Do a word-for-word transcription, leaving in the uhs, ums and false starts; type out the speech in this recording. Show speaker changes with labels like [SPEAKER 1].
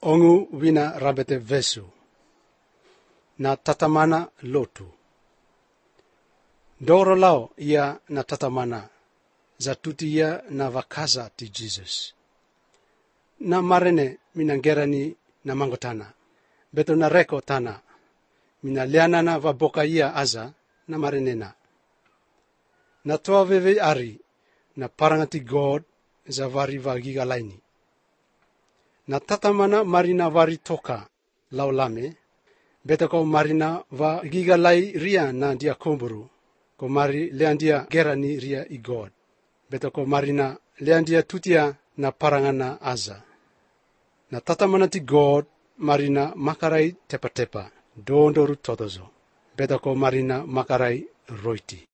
[SPEAKER 1] Ongu wina rabete vesu. Na tatamana lotu. Doro lao ia na tatamana. Zatuti ia na vakaza ti Jesus. Na marene minangerani na mangotana. Beto na reko tana. Mina liana na vaboka ia aza na marenena. Na toa veve ari na parangati God za vari vagiga laini. Na tatamana marina vari toka laulame. Beto ko marina va giga lai ria na dia kumburu. Ko mari leandia gerani ria i God. Beto ko marina leandia tutia na parangana aza. Na tatamana ti God marina makarai tepa tepa. Dondoru todozo. Beto ko marina makarai roiti.